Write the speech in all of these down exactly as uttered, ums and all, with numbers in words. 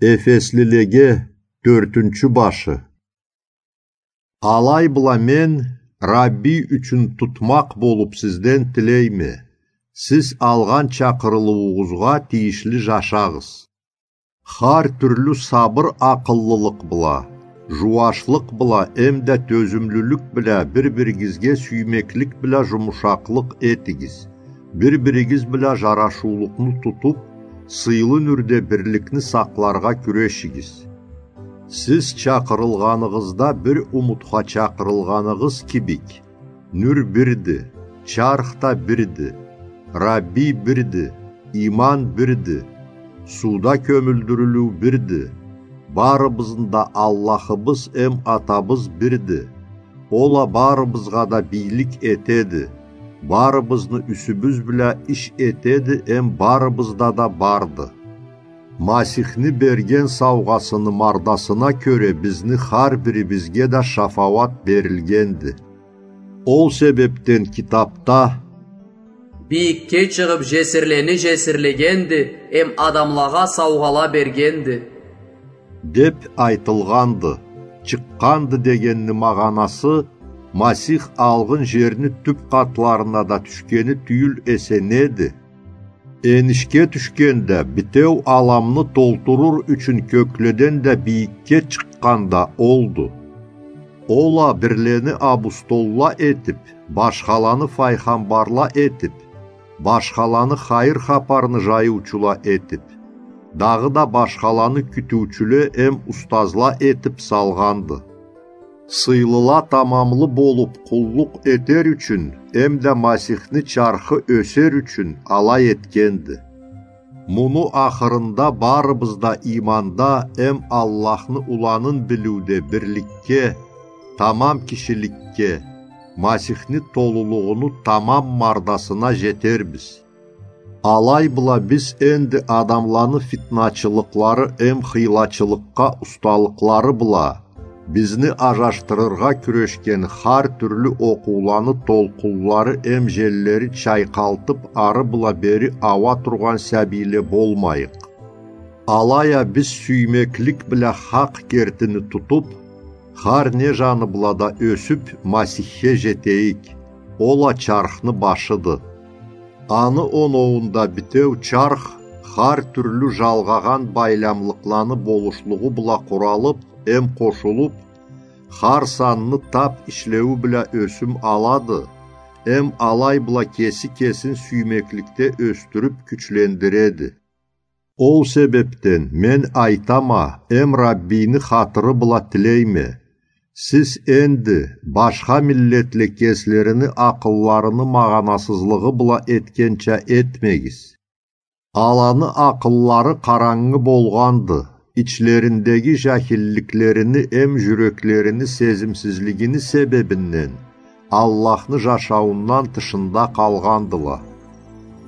Ефеслилеге, тёртюнчю башы. Алай бла мен Рабби ючюн тутмакъ болуп сизден тилейме: сиз алгъан чакъырылыуугъузгъа тийишли жашагъыз. Хар тюрлю сабыр-акъыллылыкъ бла, жууашлыкъ бла эмда тёзюмлюлюк бла бир-биригизге сюймеклик бла жумушакълыкъ этигиз. Бир-биригиз бла жарашыулукъну тутуп, сыйлы нюрде бирликни сакъларгъа кюрешигиз. Сиз чакъырылгъаныгъызда бир умутха чакъырылгъаныгъыз кибик, нюр бирди, чарх да бирди, Рабби бирди, иман бирди, сууда кёмюлдюрюлюу бирди, барыбызны да Аллахыбыз эм Атабыз бирди. Ол а барыбызгъа да бийлик этеди, барыбызны юсюбюз бла иш этеди эм барыбызда да барды. Масихни берген саугъасыны мардасына кёре бизни хар бирибизге да шафауат берилгенди. Ол себепден китапда: «Бийикге чыгъып, жесирлени жесирлегенди эм адамлагъа саугъала бергенди», — деп айтылгъанды. Чыкъгъанды дегенни магъанасы Масих алгъын жерни тюп къатларына да тюшгени тюйюл эсе неди? Энишге тюшгенде, битеу аламны толтурур ючюн кёкледен да бийикге чыкъгъан да олду. Ол а бирлени абустолла этип, башхаланы файгъамбарла этип, башхаланы хайыр хапарны жайыучула этип, дагъыда башхаланы кютюучюле эм устазла этип салгъанды. Сыйлыла тамамлы болуп къуллукъ этер ючюн эмда Масихни чархы ёсер ючюн алай этгенди. Муну ахырында барыбыз да иманда эм Аллахны Уланын билиуде бирликге, тамам кишиликге, Масихни толулугъуну тамам мардасына жетербиз. Алай бла биз энди адамланы фитначылыкълары эм хыйлачылыкъгъа усталыкълары бла, бизни ажашдырыргъа кюрешген хар тюрлю окъууланы толкъунлары эм желлери чайкъалтып, ары бла бери ауа тургъан сабийле болмайыкъ. Алай а биз сюймеклик бла хакъ кертини тутуп, хар не жаны бла да ёсюп, Масихге жетейик. Ол а чархны башыды. Аны оноуунда битеу чарх хар тюрлю жалгъагъан байламлыкъланы болушлугъу бла къуралып эм къошулуп, хар санны тап ишлеую бла ёсюм алады эм алай бла кеси кесин сюймекликде ёсдюрюп кючлендиреди. Ол себепден мен айтама эм Раббийни хатыры бла тилейме: сиз энди башха миллетле кеслерини акъылларыны магъанасызлыгъы бла этгенча этмегиз. Аланы акъыллары къарангы болгъанды, ичлериндеги жахилликлерини эм жюреклерини сезимсизлигини себебинден Аллахны жашауундан тышында къалгъандыла.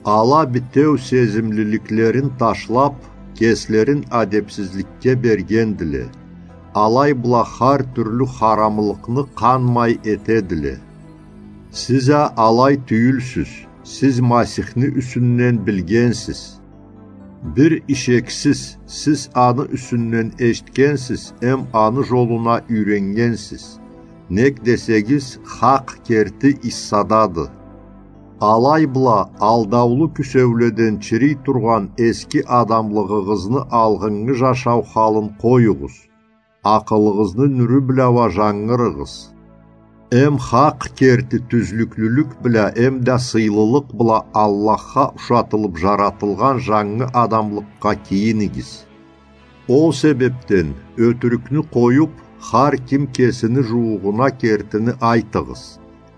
Ала битеу сезимлиликлерин ташлап, кеслерин адепсизликге бергендиле. Алай бла хар тюрлю харамлыкъны къанмай этедиле. Сиз а алай тюйюлсюз, сиз Масихни юсюнден билгенсиз. Бир ишексиз, сиз аны юсюнден эшитгенсиз эм аны жолуна юйреннгенсиз. Нек десегиз, хакъ керти Иссадады. Алай бла, алдаулу кюсеуледен чирий тургъан эски адамлыгъыгъызны алгъыннгы жашау халын къоюгъуз. Акъылыгъызны нюрю бла уа жангырыгъыз. Эм хакъ керти тюзлюклюлюк бла эмда сыйлылыкъ бла Аллахха ушатылып жаратылгъан жангы адамлыкъгъа кийинигиз. Ол себепден ётюрюкню къоюп, хар ким кесини жууугъуна кертини айтыгъыз.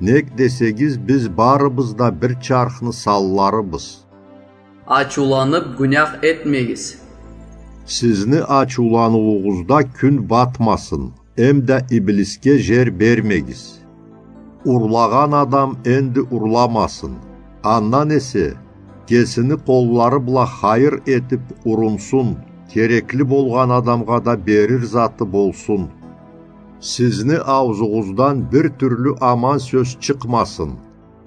Нек десегиз, биз барыбыз да бир чархны санларыбыз. Ачыуланып, гюнях этмегиз. Сизни ачыуланыуугъузда кюн батмасын, эмда иблисге жер бермегиз. Урлагъан адам энди урламасын. Андан эсе, кесини къоллары бла хайыр этип урунсун, керекли болгъан адамгъа да берир заты болсун. Сизни аузугъуздан бир тюрлю аман сёз чыкъмасын.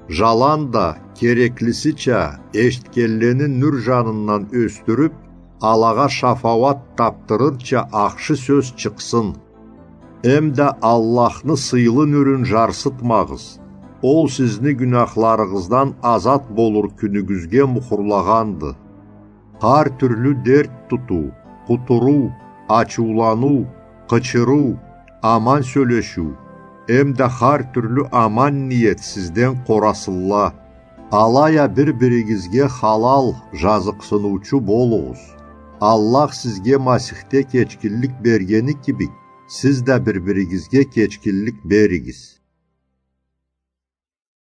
Жаланда, кереклисича, эшитгенлени нюр жанындан ёсдюрюп, алагъа шафауат тапдырырча ахшы сёз чыкъсын. Эмда Аллахны сыйлы нюрюн жарсытмагъыз. Ол сизни гюнахларыгъыздан азат болур кюнюгюзге мухурлагъанды. Хар тюрлю дерт тутуу, къутуруу, ачыуланыу, къычырыу, аман сёлешиу, эмда хар тюрлю аман ниет сизден къорасынла. Алай а бир-биригизге халал, жазыкъсыныучу болугъуз. Аллах сизге Масихде кечгинлик бергени кибик, сиз да бир-биригизге кечгинлик беригиз.